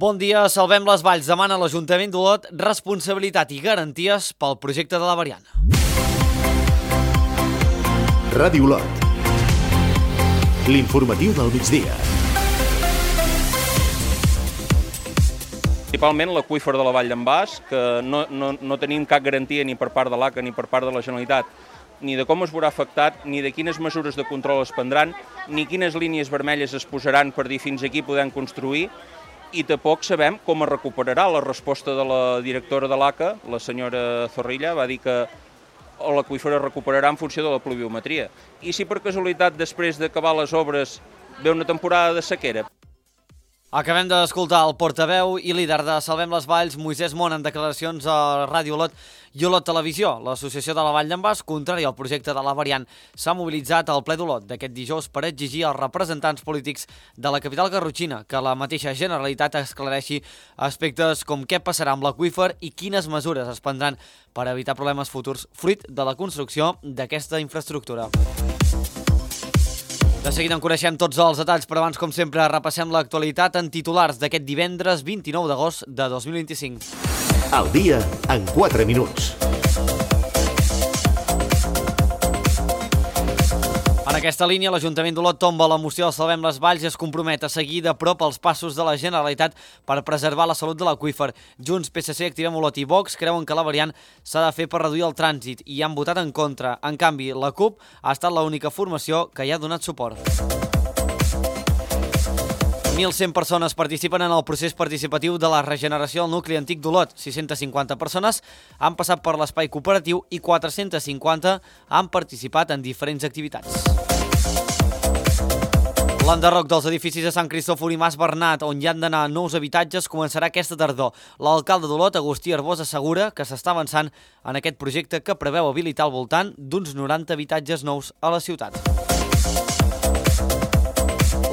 Bon dia, Salvem les Valls demana a l'Ajuntament d'Olot responsabilitat i garanties pel projecte de la variant. Ràdio Olot. L'informatiu del migdia. Principalment l'aqüífer de la Vall d'en Bas, que no tenim cap garantia ni per part de l'ACA ni per part de la Generalitat, ni de com es veurà afectat, ni de quines mesures de control es prendran, ni quines línies vermelles es posaran per dir fins aquí podem construir, i tampoc sabem com es recuperarà. La resposta de la directora de l'ACA, la senyora Zorrilla, va dir que l'aqüífer es recuperarà en funció de la pluviometria. I si per casualitat després d'acabar les obres ve una temporada de sequera? Acabem d'escoltar el portaveu i líder de Salvem les Valls, Moisès Mont, en declaracions a Ràdio Olot i Olot Televisió. L'Associació de la Vall d'en Bas, contrària al projecte de la variant, s'ha mobilitzat al ple d'Olot d'aquest dijous per exigir als representants polítics de la capital garrotxina que la mateixa Generalitat esclareixi aspectes com què passarà amb l'aqüífer i quines mesures es prendran per evitar problemes futurs fruit de la construcció d'aquesta infraestructura. De seguida en coneixem tots els detalls, però abans, com sempre, repassem l'actualitat en titulars d'aquest divendres 29 d'agost de 2025. Al dia en 4 minuts. En aquesta línia, l'Ajuntament d'Olot tomba la moció de Salvem les Valls i es compromet a seguir de prop els passos de la Generalitat per preservar la salut de l'aqüífer. Junts, PSC, Activem Olot i Vox creuen que la variant s'ha de fer per reduir el trànsit i han votat en contra. En canvi, la CUP ha estat l'única formació que hi ha donat suport. 1.100 persones participen en el procés participatiu de la regeneració del nucli antic d'Olot. 650 persones han passat per l'espai cooperatiu i 450 han participat en diferents activitats. L'enderroc dels edificis de Sant Cristòfor i Mas Bernat, on hi han d'anar nous habitatges, començarà aquesta tardor. L'alcalde d'Olot, Agustí Arbós, assegura que s'està avançant en aquest projecte que preveu habilitar al voltant d'uns 90 habitatges nous a la ciutat.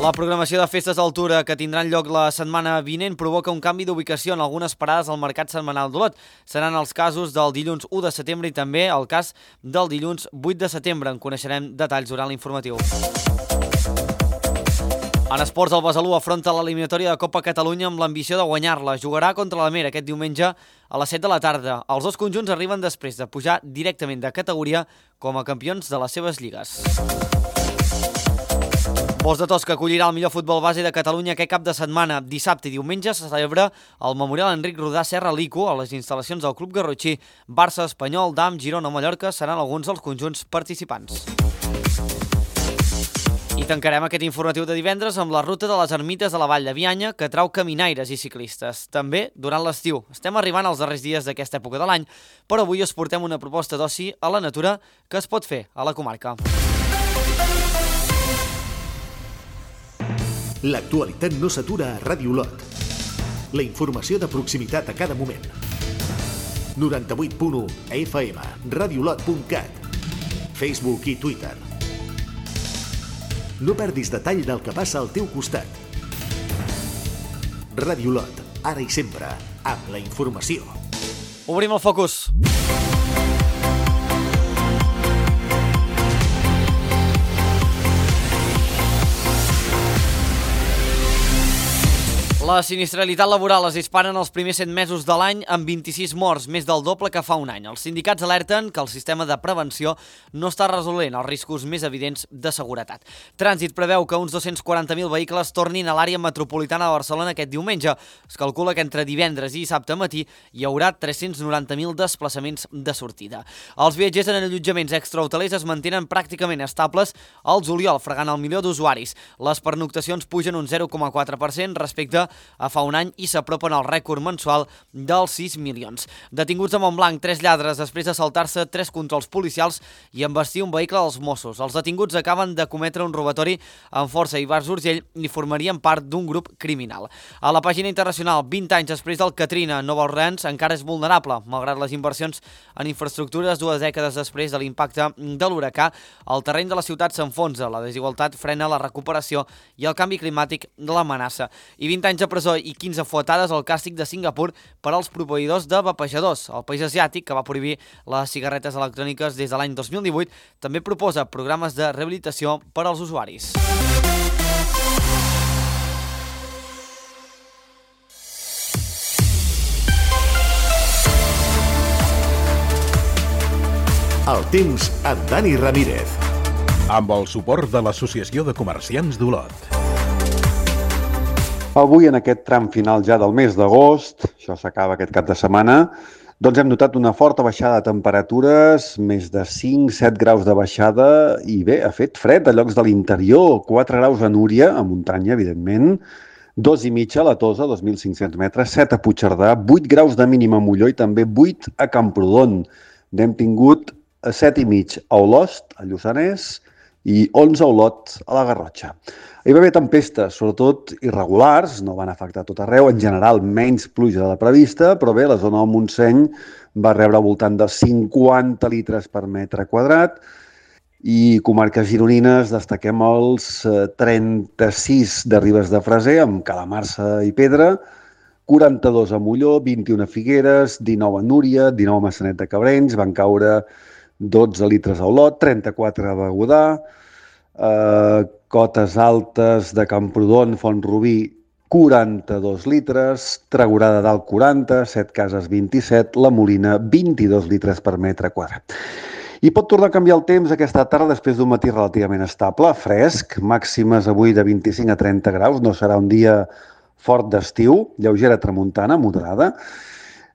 La programació de festes d'altura que tindran lloc la setmana vinent provoca un canvi d'ubicació en algunes parades al Mercat Setmanal d'Olot. Seran els casos del dilluns 1 de setembre i també el cas del dilluns 8 de setembre. En coneixerem detalls durant l'informatiu. En esports, el Besalú afronta l'eliminatòria de Copa Catalunya amb l'ambició de guanyar-la. Jugarà contra la Mera aquest diumenge a les 7 de la tarda. Els dos conjunts arriben després de pujar directament de categoria com a campions de les seves lligues. Bos de Tos, que acollirà el millor futbol base de Catalunya aquest cap de setmana. Dissabte i diumenge se celebra el Memorial Enric Rodà Serra Lico a les instal·lacions del Club Garrotxí. Barça, Espanyol, Dam, Girona o Mallorca seran alguns dels conjunts participants. I tancarem aquest informatiu de divendres amb la ruta de les ermites de la Vall de Bianya, que trau caminaires i ciclistes. També durant l'estiu. Estem arribant als darrers dies d'aquesta època de l'any, però avui us portem una proposta d'oci a la natura que es pot fer a la comarca. L'actualitat no s'atura a Ràdio Olot. La informació de proximitat a cada moment. 98.1 FM, radiolot.cat, Facebook i Twitter. No perdis detall del que passa al teu costat. Ràdio Olot, ara i sempre, amb la informació. Obrim el focus. La sinistralitat laboral es dispara en els primers 7 mesos de l'any amb 26 morts, més del doble que fa un any. Els sindicats alerten que el sistema de prevenció no està resolent els riscos més evidents de seguretat. Trànsit preveu que uns 240.000 vehicles tornin a l'àrea metropolitana de Barcelona aquest diumenge. Es calcula que entre divendres i dissabte matí hi haurà 390.000 desplaçaments de sortida. Els viatgers en allotjaments extrahotelers es mantenen pràcticament estables al juliol, fregant el milió d'usuaris. Les pernoctacions pugen un 0,4% respecte a fa un any i s'apropen al rècord mensual dels 6 milions. Detinguts a Montblanc, 3 lladres després de saltar-se 3 controls policials i embestir un vehicle dels Mossos. Els detinguts acaben de cometre un robatori amb força a Ivars d'Urgell i formarien part d'un grup criminal. A la pàgina internacional, 20 anys després del Katrina, Nova Orleans encara és vulnerable. Malgrat les inversions en infraestructures 2 dècades després de l'impacte de l'huracà, el terreny de la ciutat s'enfonsa, la desigualtat frena la recuperació i el canvi climàtic l'amenaça. I 20 anys de presó i 15 fuetades al càstig de Singapur per als proveïdors de vapejadors. El país asiàtic, que va prohibir les cigarretes electròniques des de l'any 2018, també proposa programes de rehabilitació per als usuaris. El temps amb Dani Ramírez. Amb el suport de l'Associació de Comerciants d'Olot. Avui, en aquest tram final ja del mes d'agost, això s'acaba aquest cap de setmana, doncs hem notat una forta baixada de temperatures, més de 5-7 graus de baixada, i bé, ha fet fred a llocs de l'interior, 4 graus a Núria, a muntanya, evidentment, 2,5 a la Tosa, 2.500 metres, 7 a Puigcerdà, 8 graus de mínima a Molló i també 8 a Camprodon. N'hem tingut 7,5 a Olost, a Lluçanès, i 11 a Olot, a la Garrotxa. Hi va haver tempestes, sobretot irregulars, no van afectar tot arreu, en general menys pluja de la prevista, però bé, la zona del Montseny va rebre al voltant de 50 litres per metre quadrat, i comarques gironines destaquem els 36 de Ribes de Freser, amb Calamarsa i Pedra, 42 a Molló, 21 a Figueres, 19 a Núria, 19 a Maçanet de Cabrenys, van caure 12 litres a Olot, 34 a Begudà, Cotes Altes de Camprodon, Font-rubí, 42 litres, Tregorà de Dalt 40, 7 Cases 27, La Molina 22 litres per metre quadrat. I pot tornar a canviar el temps aquesta tarda després d'un matí relativament estable, fresc, màximes avui de 25 a 30 graus, no serà un dia fort d'estiu, lleugera tramuntana, moderada,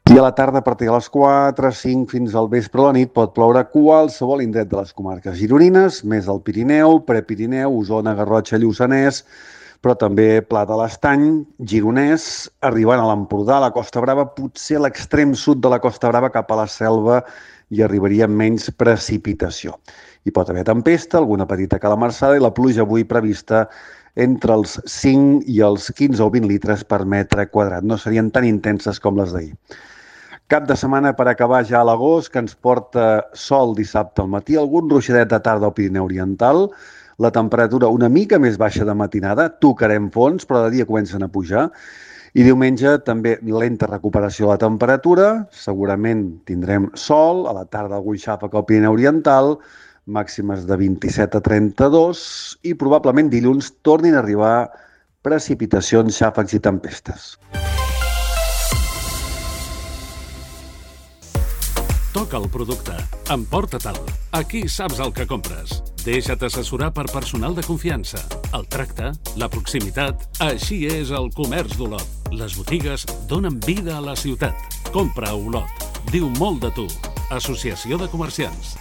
i a la tarda, a partir de les 4, 5 fins al vespre o la nit, pot ploure a qualsevol indret de les comarques gironines, més al Pirineu, Prepirineu, Osona, Garrotxa, Lluçanès, però també Pla de l'Estany, Gironès, arribant a l'Empordà, a la Costa Brava, potser a l'extrem sud de la Costa Brava cap a la Selva hi arribaria menys precipitació. Hi pot haver tempesta, alguna petita calamarsada i la pluja avui prevista entre els 5 i els 15 o 20 litres per metre quadrat. No serien tan intenses com les d'ahir. Cap de setmana per acabar ja a l'agost, que ens porta sol dissabte al matí, algun ruixadet de tarda al Pirineu Oriental, la temperatura una mica més baixa de matinada, tocarem fons, però de dia comencen a pujar, i diumenge també lenta recuperació de la temperatura, segurament tindrem sol, a la tarda algun xàfec al Pirineu Oriental, màximes de 27 a 32, i probablement dilluns tornin a arribar precipitacions, xàfecs i tempestes. Toca el producte. Emporta-te'l. Aquí saps el que compres. Deixa't assessorar per personal de confiança. El tracte, la proximitat... Així és el comerç d'Olot. Les botigues donen vida a la ciutat. Compra a Olot. Diu molt de tu. Associació de Comerciants.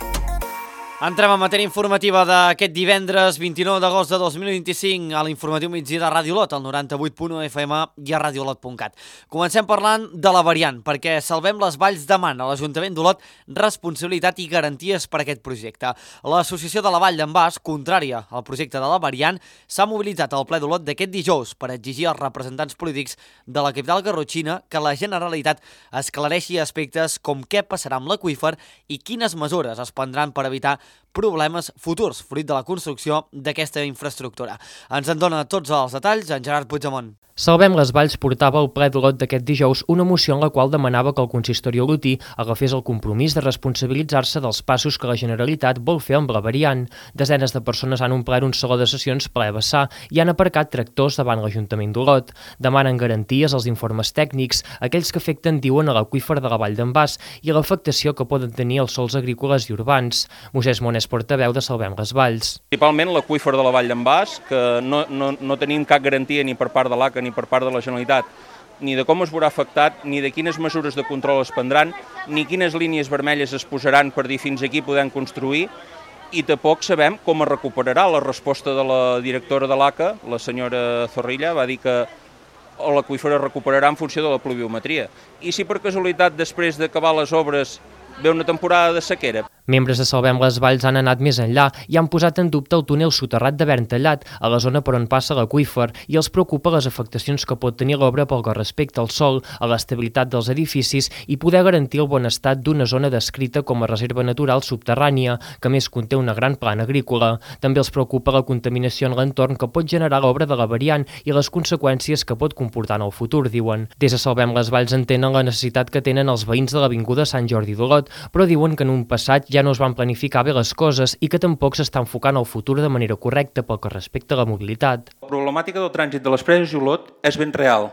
Entrem en matèria informativa d'aquest divendres 29 d'agost de 2025 a l'informatiu migdia de Ràdio Olot, al 98.1 FM i a radioolot.cat. Comencem parlant de la variant, perquè Salvem les Valls demana a l'Ajuntament d'Olot responsabilitat i garanties per a aquest projecte. L'Associació de la Vall d'en Bas, contrària al projecte de la variant, s'ha mobilitzat al ple d'Olot d'aquest dijous per exigir als representants polítics de la capital garrotxina que la Generalitat esclareixi aspectes com què passarà amb l'aqüífer i quines mesures es prendran per evitar problemes futurs, fruit de la construcció d'aquesta infraestructura. Ens en dona tots els detalls en Gerard Puigdemont. Salvem les Valls portava al ple d'Olot d'aquest dijous una moció en la qual demanava que el consistori olotí agafés el compromís de responsabilitzar-se dels passos que la Generalitat vol fer amb la variant. Desenes de persones han omplert un saló de sessions ple a vessar i han aparcat tractors davant l'Ajuntament d'Olot. Demanen garanties als informes tècnics, aquells que afecten, diuen, a l'aqüífer de la Vall d'en Bas i a l'afectació que poden tenir els sòls agrícoles i urbans. Moisès Monés, portaveu de Salvem les Valls. Principalment l'aqüífer de la Vall d'en Bas, que no tenim cap garantia ni per part de l'ACA ni per part de la Generalitat, ni de com es veurà afectat, ni de quines mesures de control es prendran, ni quines línies vermelles es posaran per dir fins aquí podem construir, i tampoc sabem com es recuperarà. La resposta de la directora de l'ACA, la senyora Zorrilla, va dir que l'aqüífer es recuperarà en funció de la pluviometria. I si per casualitat després d'acabar les obres ve una temporada de sequera? Membres de Salvem les Valls han anat més enllà i han posat en dubte el túnel soterrat de Vern Tallat, a la zona per on passa l'aqüífer, i els preocupa les afectacions que pot tenir l'obra pel que respecta al sòl, a l'estabilitat dels edificis i poder garantir el bon estat d'una zona descrita com a reserva natural subterrània, que més conté una gran plana agrícola. També els preocupa la contaminació en l'entorn que pot generar l'obra de la variant i les conseqüències que pot comportar en el futur, diuen. Des de Salvem les Valls entenen la necessitat que tenen els veïns de l'avinguda Sant Jordi d'Olot, però diuen que en un passat ja no es van planificar bé les coses i que tampoc s'està enfocant el futur de manera correcta pel que respecta a la mobilitat. La problemàtica del trànsit de les Preses i Olot és ben real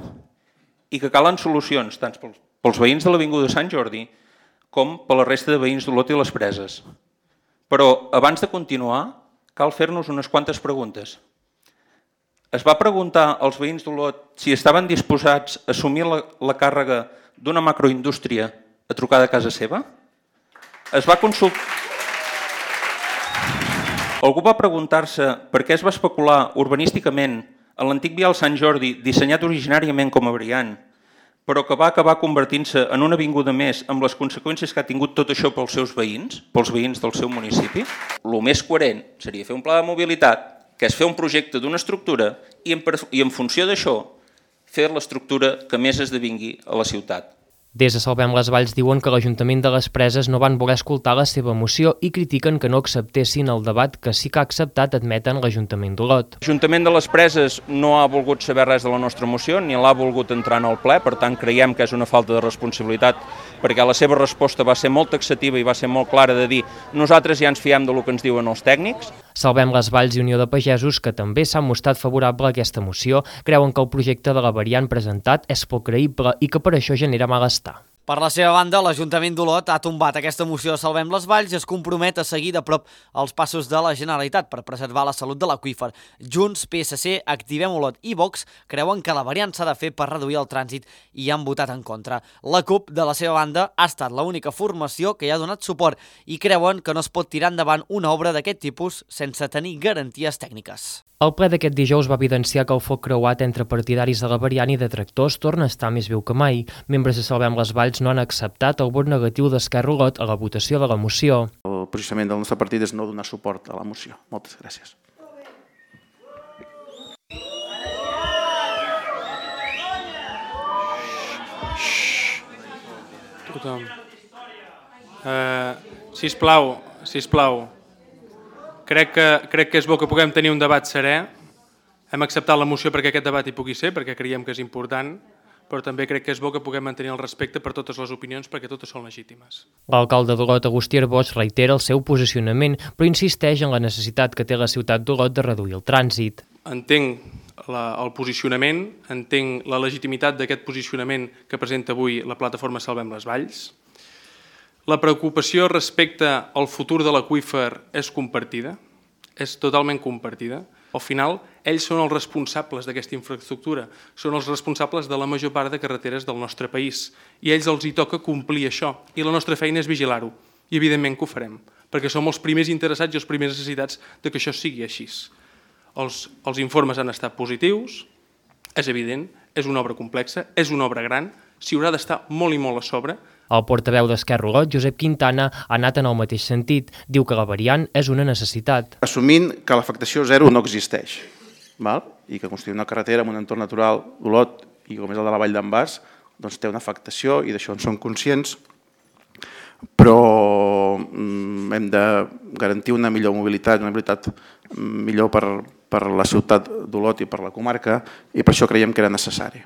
i que calen solucions tant pels veïns de l'avinguda Sant Jordi com per la resta de veïns d'Olot i les Preses. Però abans de continuar, cal fer-nos unes quantes preguntes. Es va preguntar als veïns d'Olot si estaven disposats a assumir la càrrega d'una macroindústria a trucar de casa seva? Es va consultar... Algú va preguntar-se per què es va especular urbanísticament en l'antic vial Sant Jordi, dissenyat originàriament com a variant, però que va acabar convertint-se en una avinguda més amb les conseqüències que ha tingut tot això pels seus veïns, pels veïns del seu municipi? El més coherent seria fer un pla de mobilitat, que és fer un projecte d'una estructura i en funció d'això fer l'estructura que més esdevingui a la ciutat. Des de Salvem les Valls diuen que l'Ajuntament de les Preses no van voler escoltar la seva moció i critiquen que no acceptessin el debat que sí que ha acceptat, admeten l'Ajuntament d'Olot. L'Ajuntament de les Preses no ha volgut saber res de la nostra moció ni l'ha volgut entrar en el ple, per tant creiem que és una falta de responsabilitat perquè la seva resposta va ser molt taxativa i va ser molt clara de dir nosaltres ja ens fiem del que ens diuen els tècnics. Salvem les Valls i Unió de Pagesos, que també s'han mostrat favorable a aquesta moció, creuen que el projecte de la variant presentat és poc creïble i que per això genera malestar. Per la seva banda, l'Ajuntament d'Olot ha tombat aquesta moció de Salvem les Valls i es compromet a seguir de prop els passos de la Generalitat per preservar la salut de l'aqüífer. Junts, PSC, Activem Olot i Vox creuen que la variant s'ha de fer per reduir el trànsit i han votat en contra. La CUP, de la seva banda, ha estat l'única formació que hi ha donat suport i creuen que no es pot tirar endavant una obra d'aquest tipus sense tenir garanties tècniques. El ple d'aquest dijous va evidenciar que el foc creuat entre partidaris de la variant i detractors torna a estar més viu que mai. Membres de Salvem les Valls no han acceptat el vot negatiu d'Esquerra Olot a la votació de la moció. El posicionament del nostre partit és no donar suport a la moció. Moltes gràcies. Tothom. Sisplau. Crec que és bo que puguem tenir un debat serè. Hem acceptat la moció perquè aquest debat hi pugui ser, perquè creiem que és important, però també crec que és bo que puguem mantenir el respecte per totes les opinions, perquè totes són legítimes. L'alcalde d'Olot, Agustí Arbós, reitera el seu posicionament, però insisteix en la necessitat que té la ciutat d'Olot de reduir el trànsit. Entenc el posicionament, entenc la legitimitat d'aquest posicionament que presenta avui la plataforma Salvem les Valls. La preocupació respecte al futur de l'aqüífer és compartida, és totalment compartida. Al final, ells són els responsables d'aquesta infraestructura, són els responsables de la major part de carreteres del nostre país i a ells els hi toca complir això i la nostra feina és vigilar-ho i evidentment que ho farem, perquè som els primers interessats i els primers necessitats que això sigui així. Els informes han estat positius, és evident, és una obra complexa, és una obra gran, s'hi haurà d'estar molt i molt a sobre. El portaveu d'Esquerra Olot, Josep Quintana, ha anat en el mateix sentit. Diu que la variant és una necessitat. Assumint que l'afectació zero no existeix, i que construir una carretera en un entorn natural d'Olot i com és el de la Vall d'en Bas, doncs té una afectació i d'això en som conscients, però hem de garantir una millor mobilitat, una mobilitat millor per la ciutat d'Olot i per la comarca i per això creiem que era necessari.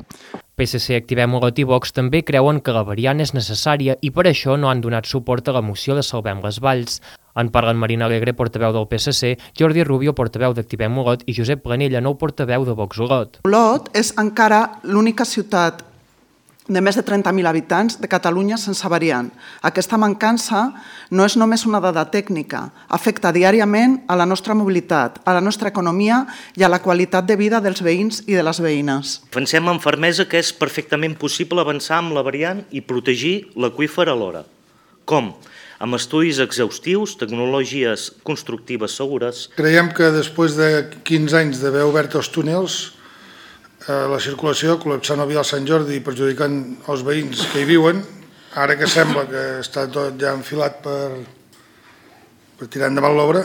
PSC, Activem Olot i Vox també creuen que la variant és necessària i per això no han donat suport a la moció de Salvem les Valls. En parlen Marina Alegre, portaveu del PSC, Jordi Rubio, portaveu d'Activem Olot i Josep Planella, nou portaveu de Vox Olot. Olot és encara l'única ciutat de més de 30.000 habitants de Catalunya sense variant. Aquesta mancança no és només una dada tècnica, afecta diàriament a la nostra mobilitat, a la nostra economia i a la qualitat de vida dels veïns i de les veïnes. Pensem amb fermesa que és perfectament possible avançar amb la variant i protegir l'aqüífer alhora. Com? Amb estudis exhaustius, tecnologies constructives segures. Creiem que després de 15 anys d'haver obert els túnels, la circulació, col·lapsant el vial Sant Jordi i perjudicant els veïns que hi viuen, ara que sembla que està tot ja enfilat per tirar endavant l'obra,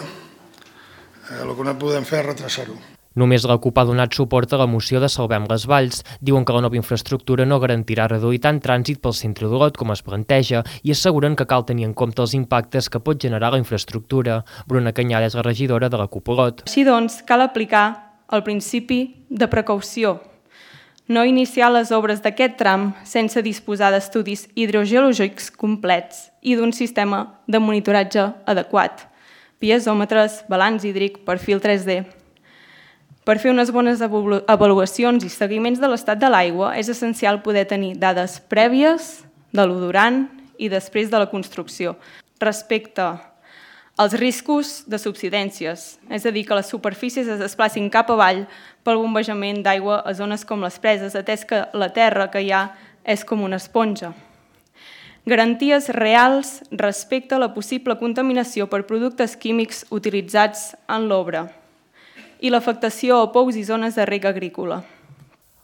el que no podem fer és retrasar-ho. Només la CUP ha donat suport a la moció de Salvem les Valls. Diuen que la nova infraestructura no garantirà reduir tant trànsit pel centre d'Olot com es planteja i asseguren que cal tenir en compte els impactes que pot generar la infraestructura. Bruna Canyada és la regidora de la CUP Olot. Així doncs, cal aplicar el principi de precaució. No iniciar les obres d'aquest tram sense disposar d'estudis hidrogeològics complets i d'un sistema de monitoratge adequat, piezòmetres, balanç hídric, perfil 3D. Per fer unes bones avaluacions i seguiments de l'estat de l'aigua és essencial poder tenir dades prèvies de lo durant i després de la construcció. Respecte Els riscos de subsidències, és a dir, que les superfícies es desplacin cap avall pel bombejament d'aigua a zones com les preses, atès que la terra que hi ha és com una esponja. Garanties reals respecte a la possible contaminació per productes químics utilitzats en l'obra i l'afectació a pous i zones de reg agrícola.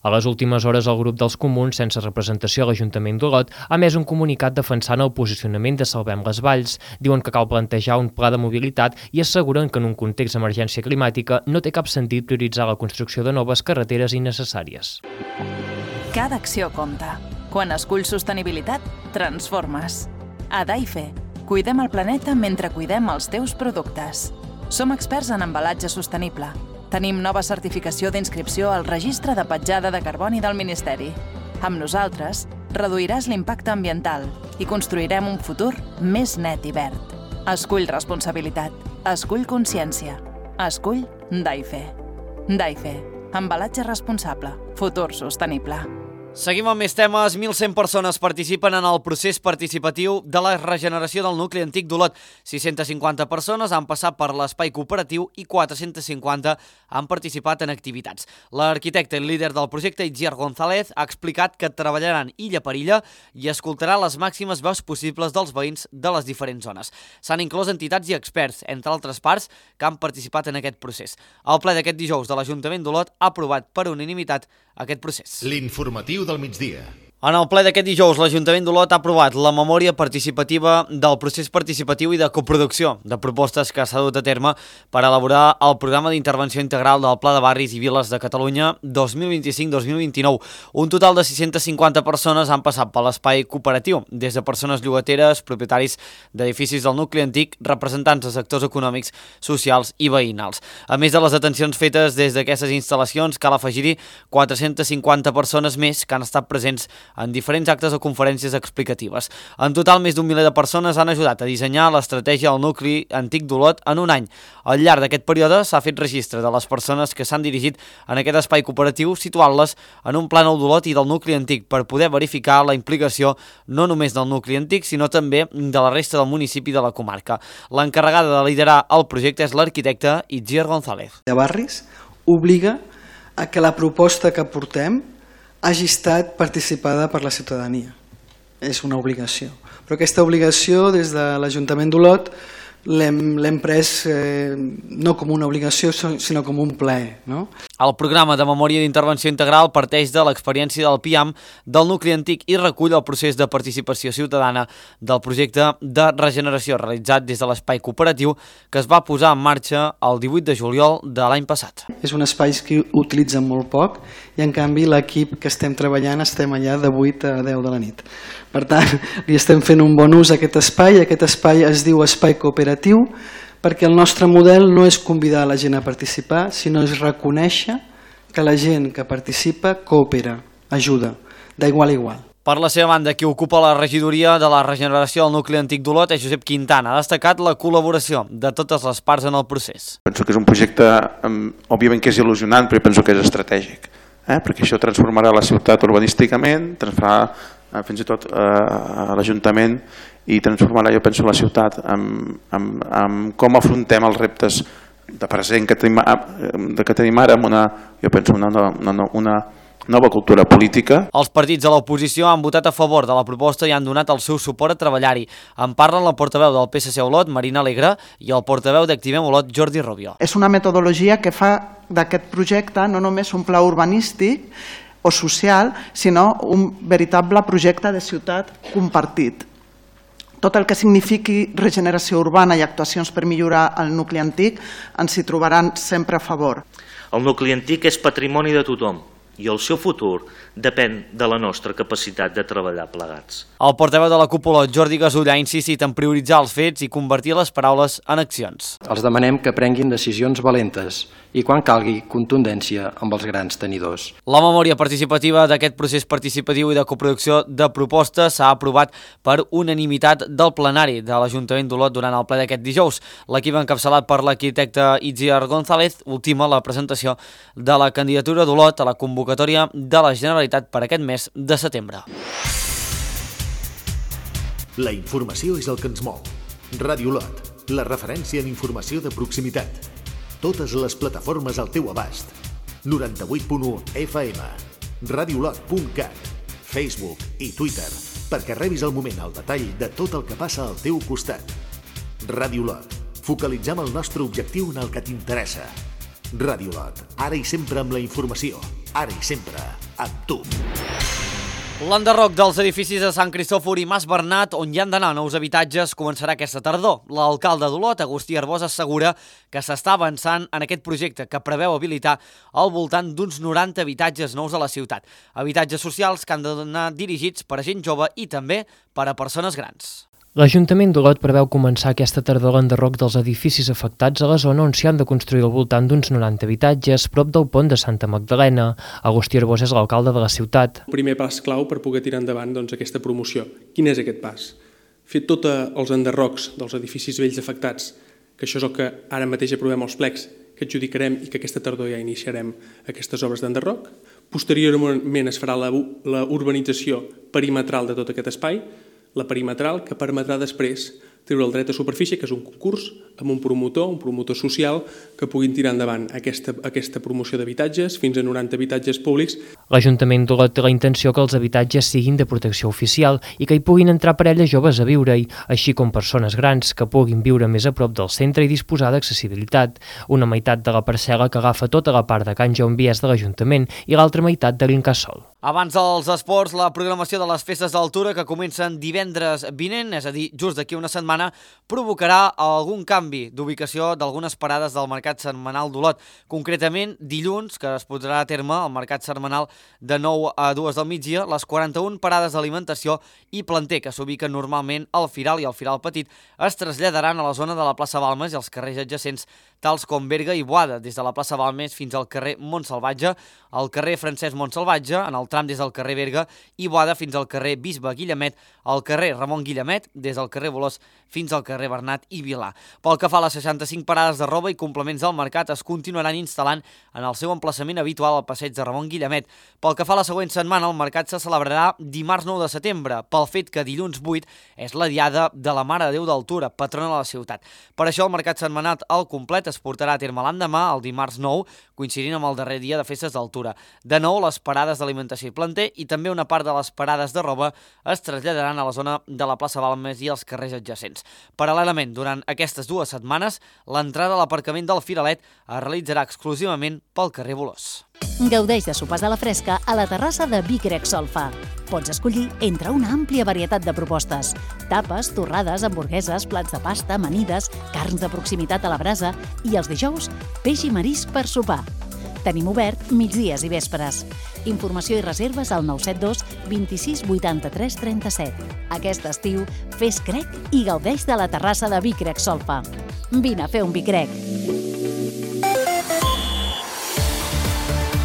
A les últimes hores, el grup dels comuns, sense representació a l'Ajuntament d'Olot, ha emès un comunicat defensant el posicionament de Salvem les Valls. Diuen que cal plantejar un pla de mobilitat i asseguren que en un context d'emergència climàtica no té cap sentit prioritzar la construcció de noves carreteres innecessàries. Cada acció compta. Quan esculls sostenibilitat, transformes. A Daife, cuidem el planeta mentre cuidem els teus productes. Som experts en embalatge sostenible. Tenim nova certificació d'inscripció al Registre de Petjada de Carboni del Ministeri. Amb nosaltres, reduiràs l'impacte ambiental i construirem un futur més net i verd. Escull responsabilitat. Escull consciència. Escull Daife. Daife. Embalatge responsable. Futur sostenible. Seguim amb més temes. 1.100 persones participen en el procés participatiu de la regeneració del nucli antic d'Olot. 650 persones han passat per l'espai cooperatiu i 450 han participat en activitats. L'arquitecte i líder del projecte, Itziar González, ha explicat que treballaran illa per illa i escoltarà les màximes veus possibles dels veïns de les diferents zones. S'han inclòs entitats i experts, entre altres parts, que han participat en aquest procés. El ple d'aquest dijous de l'Ajuntament d'Olot ha aprovat per unanimitat aquest procés. L'informatiu del migdia. En el ple d'aquest dijous, l'Ajuntament d'Olot ha aprovat la memòria participativa del procés participatiu i de coproducció de propostes que s'ha dut a terme per elaborar el programa d'intervenció integral del Pla de Barris i Viles de Catalunya 2025-2029. Un total de 650 persones han passat per l'espai cooperatiu, des de persones llogateres, propietaris d'edificis del nucli antic, representants de sectors econòmics, socials i veïnals. A més de les atencions fetes des d'aquestes instal·lacions, cal afegir-hi 450 persones més que han estat presents en diferents actes o conferències explicatives. En total, més d'un miler de persones han ajudat a dissenyar l'estratègia del nucli antic d'Olot en un any. Al llarg d'aquest període s'ha fet registre de les persones que s'han dirigit en aquest espai cooperatiu, situant-les en un plànol d'Olot i del nucli antic per poder verificar la implicació no només del nucli antic, sinó també de la resta del municipi de la comarca. L'encarregada de liderar el projecte és l'arquitecte Itziar González. De Barris obliga a que la proposta que portem hagi estat participada per la ciutadania. És una obligació. Però aquesta obligació, des de l'Ajuntament d'Olot, l'hem pres no com una obligació, sinó com un plaer. No? El programa de memòria d'intervenció integral parteix de l'experiència del PIAM del nucli antic i recull el procés de participació ciutadana del projecte de regeneració realitzat des de l'espai cooperatiu que es va posar en marxa el 18 de juliol de l'any passat. És un espai que utilitzen molt poc i en canvi l'equip que estem treballant estem allà de 8 a 10 de la nit. Per tant, li estem fent un bon ús a aquest espai es diu espai cooperatiu perquè el nostre model no és convidar la gent a participar, sinó és reconèixer que la gent que participa coopera, ajuda, d'igual a igual. Per la seva banda, qui ocupa la regidoria de la regeneració del nucli antic d'Olot és Josep Quintana. Ha destacat la col·laboració de totes les parts en el procés. Penso que és un projecte, òbviament que és il·lusionant, però penso que és estratègic, perquè això transformarà la ciutat urbanísticament, transformarà fins i tot a l'Ajuntament i transformarà, jo penso, la ciutat amb com afrontem els reptes de present que tenim ara amb una nova cultura política. Els partits de l'oposició han votat a favor de la proposta i han donat el seu suport a treballar-hi. En parlen la portaveu del PSC Olot, Marina Alegre, i el portaveu d'Activem Olot, Jordi Rubio. És una metodologia que fa d'aquest projecte no només un pla urbanístic o social, sinó un veritable projecte de ciutat compartit. Tot el que signifiqui regeneració urbana i actuacions per millorar el nucli antic ens hi trobaran sempre a favor. El nucli antic és patrimoni de tothom i el seu futur depèn de la nostra capacitat de treballar plegats. El portaveu de la cúpula, Jordi Gasull, ha insistit en prioritzar els fets i convertir les paraules en accions. Els demanem que prenguin decisions valentes i, quan calgui, contundència amb els grans tenidors. La memòria participativa d'aquest procés participatiu i de coproducció de propostes s'ha aprovat per unanimitat del plenari de l'Ajuntament d'Olot durant el ple d'aquest dijous. L'equip encapçalat per l'arquitecte Itziar González ultima la presentació de la candidatura d'Olot a la convocatòria de la Generalitat per aquest mes de setembre. La informació és el que ens mou. Ràdio Olot, la referència en informació de proximitat. Totes les plataformes al teu abast. 98.1 FM, radiolot.cat, Facebook i Twitter, perquè rebis al moment el detall de tot el que passa al teu costat. Radiolot, focalitzem el nostre objectiu en el que t'interessa. Radiolot, ara i sempre amb la informació, ara i sempre amb tu. L'enderroc dels edificis de Sant Cristòfor i Mas Bernat, on hi han d'anar nous habitatges, començarà aquesta tardor. L'alcalde d'Olot, Agustí Arbós, assegura que s'està avançant en aquest projecte que preveu habilitar al voltant d'uns 90 habitatges nous a la ciutat. Habitatges socials que han d'anar dirigits per a gent jove i també per a persones grans. L'Ajuntament d'Olot preveu començar aquesta tardor l'enderroc dels edificis afectats a la zona on s'hi han de construir al voltant d'uns 90 habitatges prop del pont de Santa Magdalena. Agustí Arbós és l'alcalde de la ciutat. El primer pas clau per poder tirar endavant aquesta promoció. Quin és aquest pas? Fer tots els enderrocs dels edificis vells afectats, que això és el que ara mateix aprovem els plecs, que adjudicarem i que aquesta tardor ja iniciarem aquestes obres d'enderroc. Posteriorment es farà la urbanització perimetral de tot aquest espai, la perimetral, que permetrà després treure el dret a superfície, que és un concurs amb un promotor social, que puguin tirar endavant aquesta promoció d'habitatges, fins a 90 habitatges públics. L'Ajuntament d'Olot té la intenció que els habitatges siguin de protecció oficial i que hi puguin entrar parelles joves a viure-hi, així com persones grans que puguin viure més a prop del centre i disposar d'accessibilitat. Una meitat de la parcel·la que agafa tota la part de Can Jaume Vies de l'Ajuntament i l'altra meitat de l'Incasòl. Abans dels esports, la programació de les festes d'altura que comencen divendres vinent, és a dir, just d'aquí una setmana, provocarà algun canvi d'ubicació d'algunes parades del Mercat Setmanal d'Olot. Concretament, dilluns, que es portarà a terme el Mercat Setmanal de 9 a 2 del migdia, les 41 parades d'alimentació i planter que s'ubiquen normalment al Firal i al Firal Petit es traslladaran a la zona de la plaça Balmes i els carrers adjacents, tals com Berga i Boada, des de la plaça Balmes fins al carrer Montsalvatge, al carrer Francesc Montsalvatge, en el tram des del carrer Berga, i Boada fins al carrer Bisbe Guillemet, al carrer Ramon Guillemet, des del carrer Bolós fins al carrer Bernat i Vilà. Pel que fa a les 65 parades de roba i complements del mercat, es continuaran instal·lant en el seu emplaçament habitual al passeig de Ramon Guillemet. Pel que fa a la següent setmana, el mercat se celebrarà dimarts 9 de setembre, pel fet que dilluns 8 és la diada de la Mare de Déu d'Altura, patrona de la ciutat. Per això el mercat setmanal al complet es portarà a terme l'endemà, el dimarts 9, coincidint amb el darrer dia de festes d'altura. De nou, les parades d'alimentació i planter i també una part de les parades de roba es traslladaran a la zona de la plaça Balmes i els carrers adjacents. Paral·lelament, durant aquestes 2 setmanes, l'entrada a l'aparcament del Firalet es realitzarà exclusivament pel carrer Bolós. Gaudeix de sopars a la fresca a la terrassa de Vic Rec Solfa. Pots escollir entre una àmplia varietat de propostes. Tapes, torrades, hamburgueses, plats de pasta, amanides, carns de proximitat a la brasa i els dijous, peix i marisc per sopar. Tenim obert migdies i vespres. Informació i reserves al 972 26 83 37. Aquest estiu, fes crec i gaudeix de la terrassa de Vic Rec Solfa. Vine a fer un Vic Rec.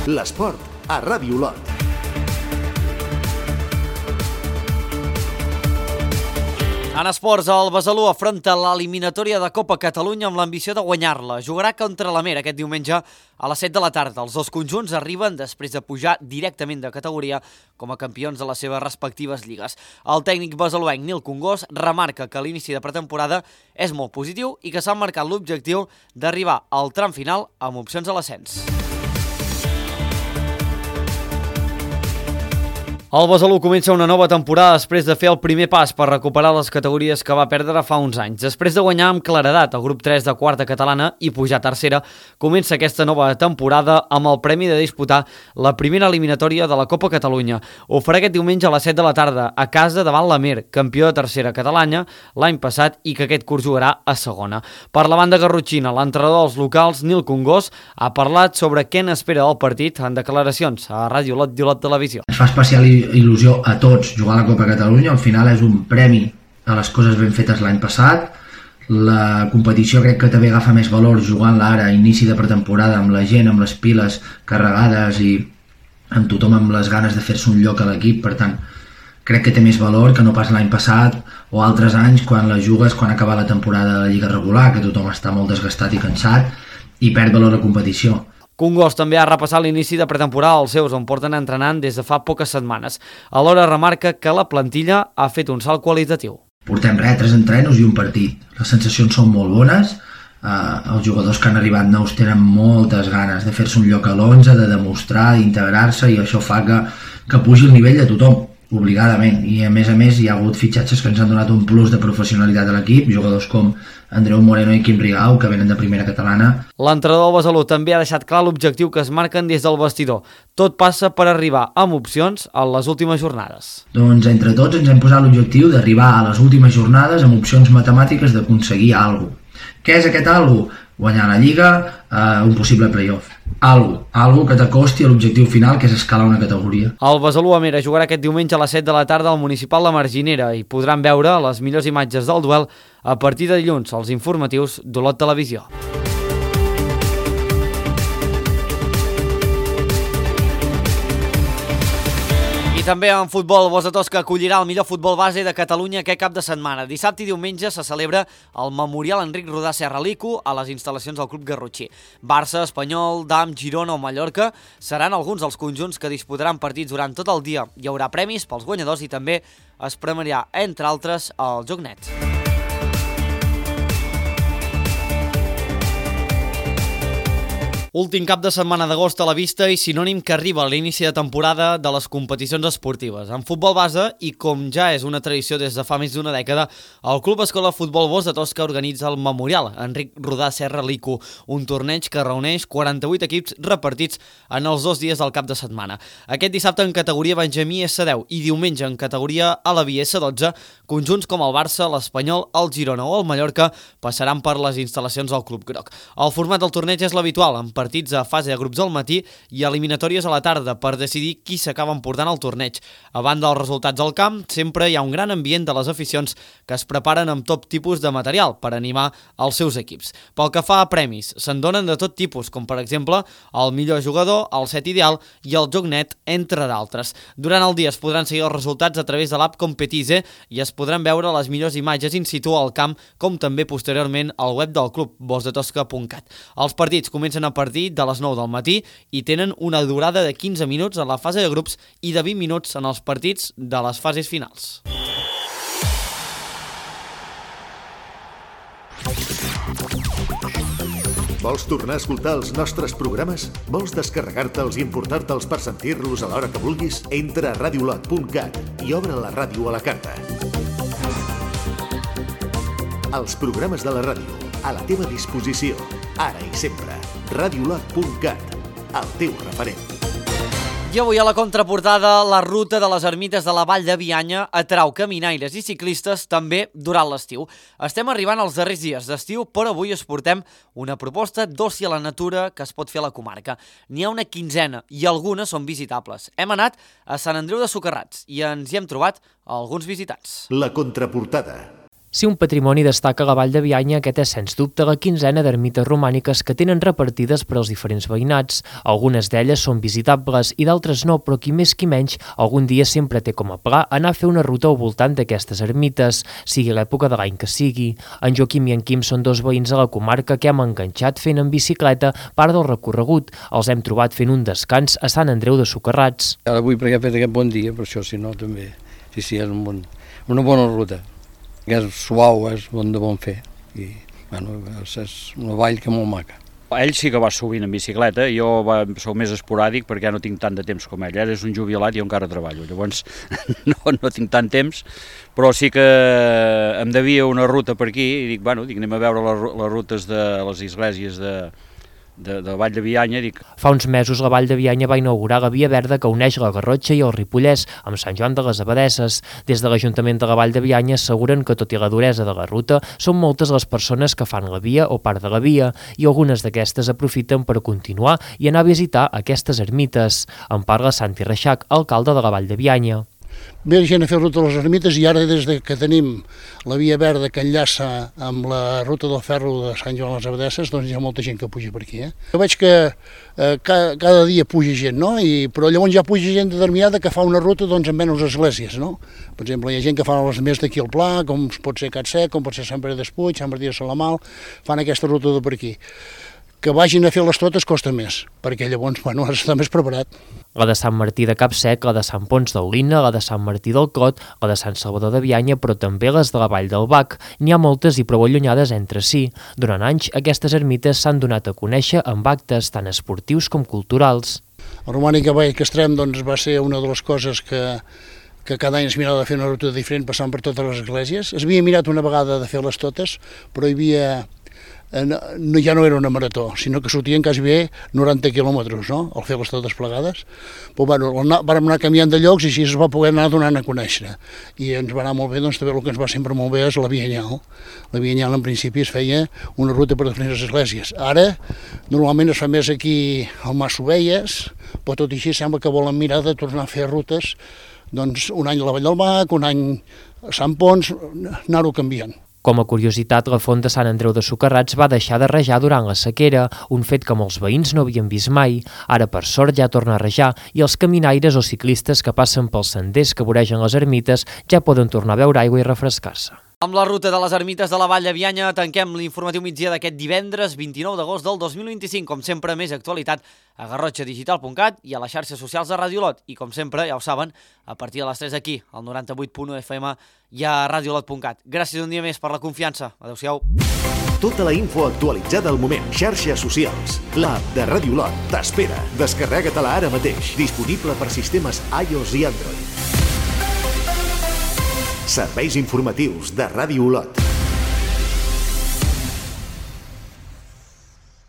L'esport a Ràdio Olot. En esports, el Besalú afronta l'eliminatòria de Copa Catalunya amb l'ambició de guanyar-la. Jugarà contra l'Amer aquest diumenge a les 7 de la tarda. Els dos conjunts arriben després de pujar directament de categoria com a campions de les seves respectives lligues. El tècnic besaluenc Nil Congós remarca que l'inici de pretemporada és molt positiu i que s'ha marcat l'objectiu d'arribar al tram final amb opcions a l'ascens. El Besalú comença una nova temporada després de fer el primer pas per recuperar les categories que va perdre fa uns anys. Després de guanyar amb claredat el grup 3 de quarta catalana i pujar a tercera, comença aquesta nova temporada amb el premi de disputar la primera eliminatòria de la Copa Catalunya. Ho farà aquest diumenge a les 7 de la tarda a casa davant l'Amer, campió de tercera catalana l'any passat i que aquest curs jugarà a segona. Per la banda garrotxina, l'entrenador dels locals, Nil Congós, ha parlat sobre què n'espera del partit en declaracions a Ràdio Olot i Olot Televisió. Es fa especial il·lusió a tots jugar a la Copa Catalunya, al final és un premi a les coses ben fetes l'any passat. La competició crec que també agafa més valor jugant-la ara a inici de pretemporada amb la gent, amb les piles carregades i amb tothom amb les ganes de fer-se un lloc a l'equip, per tant crec que té més valor que no pas l'any passat o altres anys quan la jugues quan acaba la temporada de la Lliga regular, que tothom està molt desgastat i cansat i perd valor la competició. Congós també ha repassat l'inici de pretemporada als seus, on porten entrenant des de fa poques setmanes. Alhora remarca que la plantilla ha fet un salt qualitatiu. Portem 3 entrenos i un partit. Les sensacions són molt bones. Els jugadors que han arribat nous tenen moltes ganes de fer-se un lloc a l'11, de demostrar, d'integrar-se, i això fa que pugi el nivell de tothom, obligadament. I a més hi ha hagut fitxatges que ens han donat un plus de professionalitat a l'equip, jugadors com Andreu Moreno i Quim Rigau, que venen de primera catalana. L'entrenador del Besalú també ha deixat clar l'objectiu que es marquen des del vestidor. Tot passa per arribar amb opcions a les últimes jornades. Doncs entre tots ens hem posat l'objectiu d'arribar a les últimes jornades amb opcions matemàtiques d'aconseguir alguna cosa. Què és aquest alguna cosa? Guanyar la Lliga, un possible playoff. Algo que t'acosti a l'objectiu final, que és escalar una categoria. El Besalú Amera jugarà aquest diumenge a les 7 de la tarda al Municipal de Marginera i podran veure les millors imatges del duel a partir de dilluns als informatius d'Olot Televisió. I també en futbol, Bosch de Tosca acollirà el millor futbol base de Catalunya aquest cap de setmana. Dissabte i diumenge se celebra el Memorial Enric Rodà Serralico a les instal·lacions del Club Garrotxí. Barça, Espanyol, Dam, Girona o Mallorca seran alguns dels conjunts que disputaran partits durant tot el dia. Hi haurà premis pels guanyadors i també es premiarà, entre altres, el Joc Net. Últim cap de setmana d'agost a la vista i sinònim que arriba a l'inici de temporada de les competicions esportives. En futbol base, i com ja és una tradició des de fa més d'una dècada, el Club Escola Futbol Bosch de Tosca organitza el Memorial Enric Rodà Serralico, un torneig que reuneix 48 equips repartits en els 2 dies del cap de setmana. Aquest dissabte en categoria Benjamí S10 i diumenge en categoria Alaví S12, conjunts com el Barça, l'Espanyol, el Girona o el Mallorca passaran per les instal·lacions del Club Groc. El format del torneig és l'habitual, amb partits a fase de grups al matí i eliminatòries a la tarda per decidir qui s'acaba emportant al torneig. A banda dels resultats al camp, sempre hi ha un gran ambient de les aficions que es preparen amb tot tipus de material per animar els seus equips. Pel que fa a premis, se'n donen de tot tipus, com per exemple el millor jugador, el set ideal i el Joc Net, entre d'altres. Durant el dia es podran seguir els resultats a través de l'app Competize i es podran veure les millors imatges in situ al camp, com també posteriorment al web del club, boschdetosca.cat. Els partits comencen a partir de les 9 del matí i tenen una durada de 15 minuts en la fase de grups i de 20 minuts en els partits de les fases finals. Vols tornar a escoltar els nostres programes? Vols descarregar-te'ls i importar-te'ls per sentir-los a l'hora que vulguis? Entra a radiolot.cat i obre la ràdio a la carta. Els programes de la ràdio, a la teva disposició, ara i sempre. radiolot.cat, el teu referent. I avui a la contraportada, la ruta de les ermites de la Vall de Bianya atrau caminaires i ciclistes també durant l'estiu. Estem arribant als darrers dies d'estiu, però avui us portem una proposta d'oci a la natura que es pot fer a la comarca. N'hi ha una quinzena i algunes són visitables. Hem anat a Sant Andreu de Socarrats i ens hi hem trobat alguns visitants. La contraportada. Si un patrimoni destaca a la Vall de Bianya, aquest és, sens dubte, la quinzena d'ermites romàniques que tenen repartides per als diferents veïnats. Algunes d'elles són visitables i d'altres no, però qui més qui menys, algun dia sempre té com a pla anar a fer una ruta al voltant d'aquestes ermites, sigui l'època de l'any que sigui. En Joaquim i en Quim són dos veïns a la comarca que hem enganxat fent en bicicleta part del recorregut. Els hem trobat fent un descans a Sant Andreu de Socarrats. Ara avui perquè ha fet aquest bon dia, per això, si no, també. Sí, és una bona ruta. Que és suau, és de bon fer i bueno, és una vall que molt maca. Ell sí que va sovint en bicicleta, jo soc més esporàdic perquè ja no tinc tant de temps com ell. Ell és un jubilat i jo encara treballo, llavors no tinc tant temps, però sí que em devia una ruta per aquí i dic, anem a veure les rutes de les esglésies de Vall de Bianya. Fa uns mesos la Vall de Bianya va inaugurar la via verda que uneix la Garrotxa i el Ripollès amb Sant Joan de les Abadesses. Des de l'Ajuntament de la Vall de Bianya asseguren que, tot i la duresa de la ruta, són moltes les persones que fan la via o part de la via i algunes d'aquestes aprofiten per continuar i anar a visitar aquestes ermites. En parla Santi Reixac, alcalde de la Vall de Bianya. Ve gent a fer ruta a les ermites i ara des que tenim la via verda que enllaça amb la ruta del ferro de Sant Joan de les Abadesses, doncs hi ha molta gent que puja per aquí. Jo veig que cada dia puja gent, no? Però llavors ja puja gent determinada que fa una ruta amb menys esglésies, no? Per exemple, hi ha gent que fa les més d'aquí al Pla, com pot ser Catsec, com pot ser Sant Pere d'Espuig, Sant Martí de Salamal, fan aquesta ruta de per aquí. que vagin a fer les totes costa més, perquè llavors, bueno, has d'estar més preparat. La de Sant Martí de Capsec, la de Sant Pons d'Olina, la de Sant Martí del Cot, la de Sant Salvador de Bianya, però també les de la Vall del Bac. N'hi ha moltes i prou allunyades entre si. Durant anys, aquestes ermites s'han donat a conèixer amb actes tant esportius com culturals. El romànic a Vall Castrem doncs, va ser una de les coses que cada any es mirava de fer una ruta diferent passant per totes les esglésies. Es havia mirat una vegada de fer-les totes, però hi havia... ja no era una marató, sinó que sortien quasi bé 90 quilòmetres, no?, al fer-les totes plegades. Però bueno, vam anar canviant de llocs i així es va poder anar donant a conèixer. I ens va anar molt bé, doncs també el que ens va sempre molt bé és la Via Anyal. La Via Anyal en principi es feia una ruta per diferents esglésies. Ara, normalment es fa més aquí al Mas Ovelles, però tot i així sembla que volen mirar de tornar a fer rutes, doncs un any a la Vall del Bac, un any a Sant Pons, anar-ho canviant. Com a curiositat, la font de Sant Andreu de Socarrats va deixar de rajar durant la sequera, un fet que molts veïns no havien vist mai. Ara, per sort, ja torna a rajar i els caminaires o ciclistes que passen pels senders que voregen les ermites ja poden tornar a beure aigua i refrescar-se. Amb la ruta de les ermites de la Vall de Bianya tanquem l'informatiu migdia d'aquest divendres 29 d'agost del 2025. Com sempre, més actualitat a garrotxadigital.cat i a les xarxes socials de Ràdio Olot. I com sempre, ja ho saben, a partir de les 3 aquí, al 98.1 FM i a radiolot.cat. Gràcies un dia més per la confiança. Adéu-siau. Tota la info actualitzada al moment. Xarxes socials. L'app de Ràdio Olot t'espera. Descarrega-te-la ara mateix. Disponible per sistemes iOS i Android. Serveis informatius de Ràdio Olot.